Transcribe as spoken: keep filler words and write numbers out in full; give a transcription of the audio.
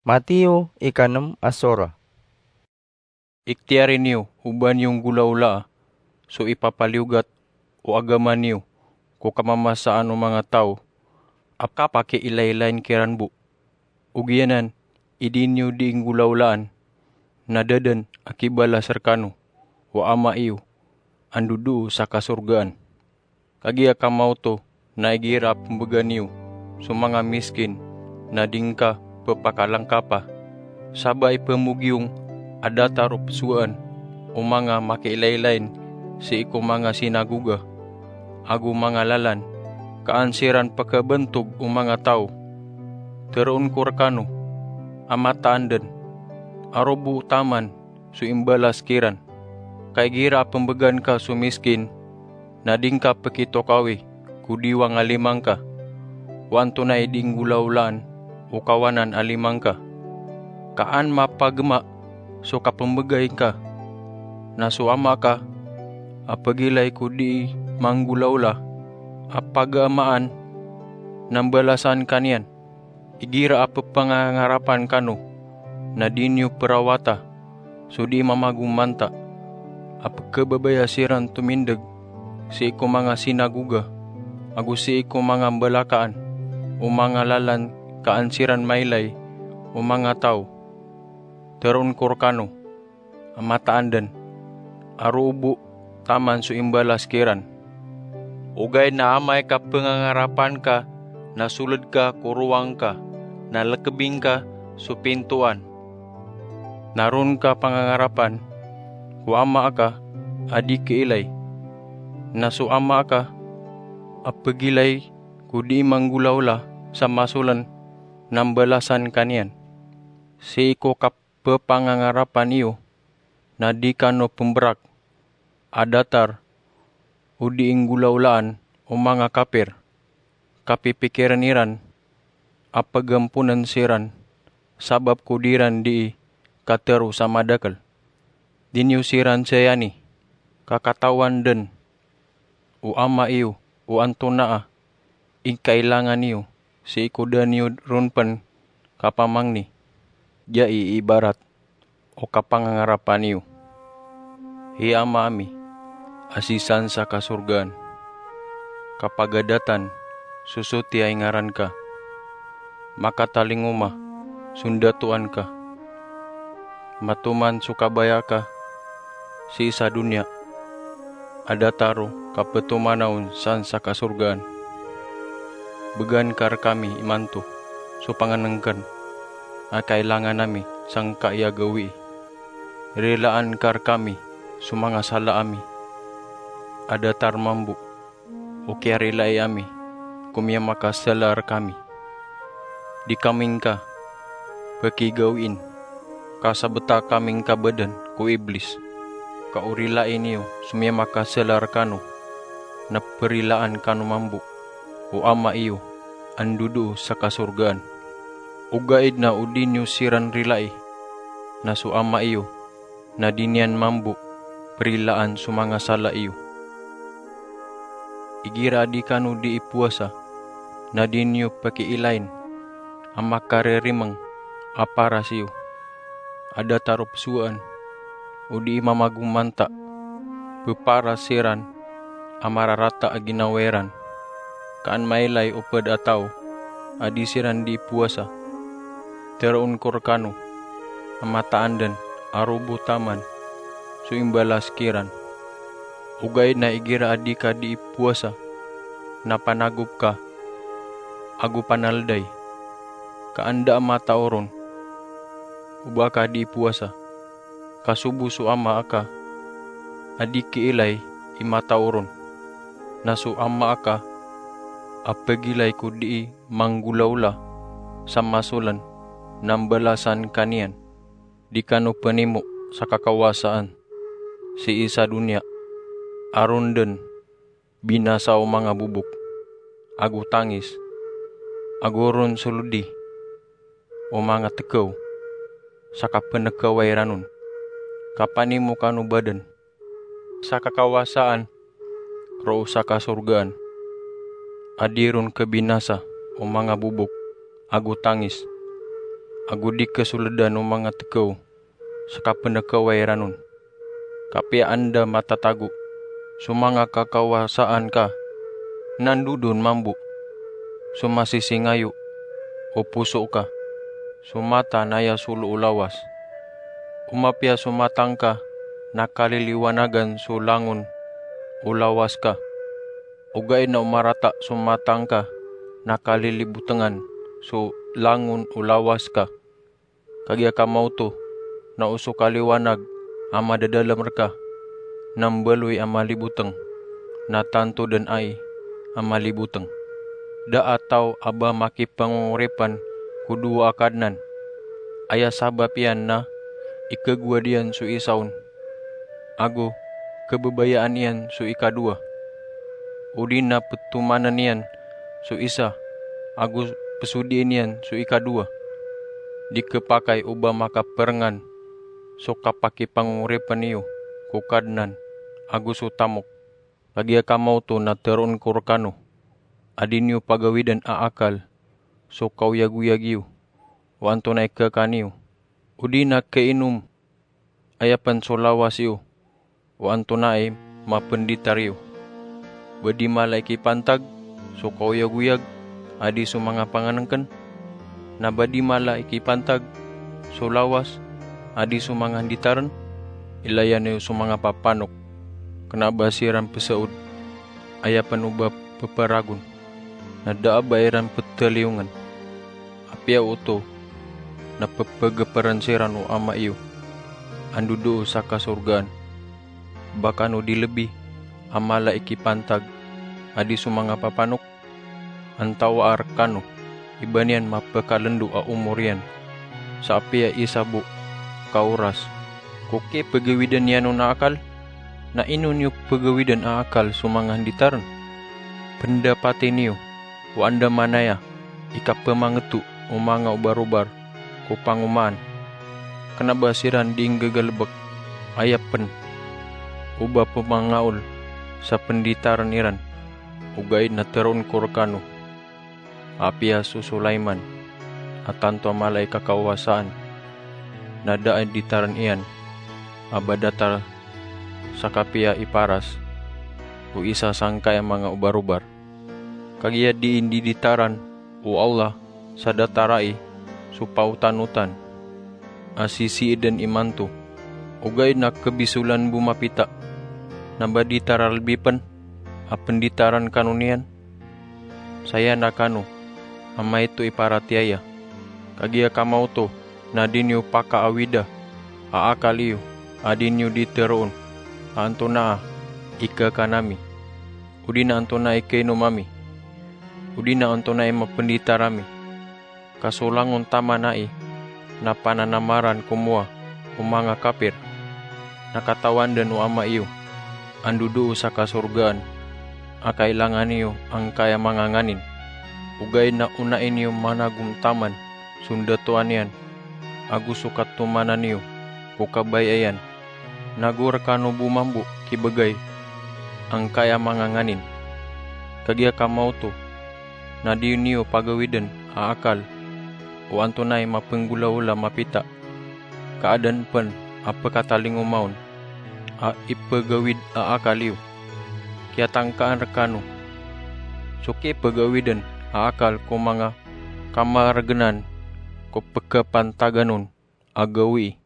Mateo ikanem a sora. Iktiyari niyo o ba niyo nggolawlaa so ipapaliyogat o agama niyo ko kamamasaan o manga taw a kapakiilaylayin kiran bo. Ogaid na i di niyo dii nggolawlaan na da dn a kibalas rkano o Ama iyo a ndodoo sa kasorgaan. Kagiya kamaoto na igira a pmbgan iyo so manga miskin na di ngka ppakalangkapa, sa ba i pmogiyong a datar o pzowaan o manga makiilaylayin sii ko manga sinagoga ago manga lalan, ka an siran pkhabantog o manga taw. Tharoon ko rkano a mataan dn a roo bo taman so imbalas kiran. Ka igira a pmbgan ka so miskin na di ngka pkitokawi ko diwang a lima ngka o antonaa i dii nggolawlaan o kawanan a lima ngka. Ka an mapagma so kapmbgay ngka na so Ama ka a pagilay ko dii manggolawla a pagamaan na mbalasan ka niyan. Igira a ppangangarapan kano na di niyo prawata so dii mamagomanta a pkhababaya siran tomindg sii ko manga sinagoga ago sii ko manga mbalakaan o manga lalan ka an siran mailay o manga taw. Tharoon ko rkano a mataan dn a roo bo taman so imbalas kiran. Ogaid na amay ka pngangarapan ka na sold ka ko rowang ka na lkbi ngka so pintoan, na ron ka pangangarapan ko Ama ka a di kiilay, na so Ama ka a pagilay ko dii manggolawla sa masoln na mbalasan ka niyan. Sii ko kap- pphangangarapan iyo na di kano pmbrak a datar o dii nggolawlaan o manga kapir, ka pipikirn iran a pagamponn siran sabap ko di ran dii katharo sa madakl. Di niyo siran sayani, ka katawan dn o Ama iyo o antonaa i kailangan iyo sii ko da niyo ron pn kapamangni. Giya i ibarat o kapangangarapan iyo. Hay Ama ami a sii san sa kasorgaan, kapagadatan so sotiya i ngaran ka. Makatalingoma so ndatoan ka. Matoman so kabaya ka sii sa doniya a datar o kaptomanaon san sa kasorgaan. Bgan ka rkami imanto so pangnngkn a kailangan ami sangkai a gawii. Rilaan ka rkami so manga sala ami a datar mambo o kiyarilai ami ko miyamakasala rkami. Di kami ngka pkigawiin, ka sabta kami ngka bdn ko Iblis, ka o rilai niyo so miyamakasala rkano na prilaan kano mambo o Ama iyo a ndodoo sa kasorgaan. Ogaid na o di niyo siran rilai, na so Ama iyo na di niyan mambo prilaan so manga sala iyo. Igira a di kano dii powasa, na di niyo pkiilain a makaririmang a paras iyo a datar o pzowaan o dii mamagomanta. Pparas siran a mararata a ginawa iran, ka an mailay o pd a taw a di siran dii powasa. Tharoon ko rkano a mataan dn a roo bo taman so imbalas kiran. Ogaid na igira a di ka dii powasa na panagop ka ago panalday, ka an da a matao ron o ba ka dii powasa, ka so bo so Ama aka a di kiilay i matao ron, na so Ama aka a pagilay ko dii manggolawla sa masoln na mbalasan ka niyan. Di kano pnimo sa kakawasaan sii sa doniya a ron dn binasa o manga bobok ago tangis, ago ron solodi o manga tkaw sa kapnkawa iran on. Kapanimo kano badn sa kakawasaan roo sa kasorgaan, a di ron khabinasa o manga bobok ago tangis, ago di ka soledan o manga tekaw sa kapenekawa iran on. Kapiya anda matatago so manga kakawasaan ka, na ndodon mambo so masisingayo o poso ka. So mata na aya solo o lawas. O mapiya so mata ngka na kaliliwanagan so langon o lawas ka. Ogaid na o marata so mata ngka na kalilibotengan so langon o lawas ka. Kagiya ka maoto na o so kaliwanag a madadalem reka na mbaloy a maliboteng, na tanto den ai a maliboteng. Da a taw a ba makipangongoripen ko dowa a kadnan. Aya sabap iyan na ikegowad iyan so isa on, ago kebebayaan iyan so ikadowa. O di na petomanen iyan so isa ago pesodien iyan so ikadowa. Di kepakay o ba makaperengan so kapakipangongoripen iyo ko Kadnan ago so tamok. Kagiya ka maoto na teroon ko rekano a di niyo pagawiden a akal so kaoyagoyag iyo o antonaa i kekan iyo. O di na keinom aya pen so lawas iyo o antonaa i mapenditar iyo. Ba di mala i kipantag so kaoyagoyag a di so manga pangenengken, na ba di mala i kipantag so lawas a di so manga nditaren. Ilayan iyo so manga papanok, kena ba siran pesaod aya pen o ba peparagon, na da a ba iran petaliyongen. Apiya oto na pepegeperen siran o Ama iyo a ndodoo sa kasorgaan. Ba kano di lebi a mala i kipantag a di so manga papanok? Antawaa rekano i ba niyan mapekalendo a omor iyan sa apiya isa bo ka oras ko kipegawiden iyan on a akal? Na ino niyo pegawiden a akal so manga nditaren? Pendapati niyo o andamanaya i kapemangeto o manga obarobar ko pangomaan. Kena ba siran di nggegalebek aya pen o ba pemangaol sa penditaren iran. Ogaid na teroon ko rekano, apiya so Sulaiman a tanto a mala i kakawasaan na da a ditaren iyan a ba datar sa kapiya i paras o isa sangkai a manga obarobar. Kagiya di indiditaran o Allah sa datar ai so paotanotan a sisiiden imanto. Ogaid na kebisolan bo mapita, na ba di taralbi pen a penditaran kano niyan? Saya na kano a maito i paratiyaya. Kagiya ka maoto na di niyo pakaawida a akal iyo a di niyo di teroon a antonaa i kekan ami, o di na antonaa i keinom ami, o di na antonaa i mapenditar ami. Ka so langon taman ai na pananamaran komowa o manga kapir. Na katawan den o Ama iyo a ndodoo sa kasorgaan a kailangan iyo angkaya manga nganin. Ogaid na onai niyo managom taman so ndatoan iyan ago so katomanan iyo ko kabaya iyan. Nago rekano bo mambo kibegay angkaya manga nganin. Kagiya ka maoto na di niyo pagawiden a akal o antonaa i mapenggolaola mapita. Ka aden pen a pekatalingoma on a ipegawid a akal iyo. Kiyatangkaan rekano so kipegawiden a akal ko manga kamaregenan ko pekepantagan on a gawii.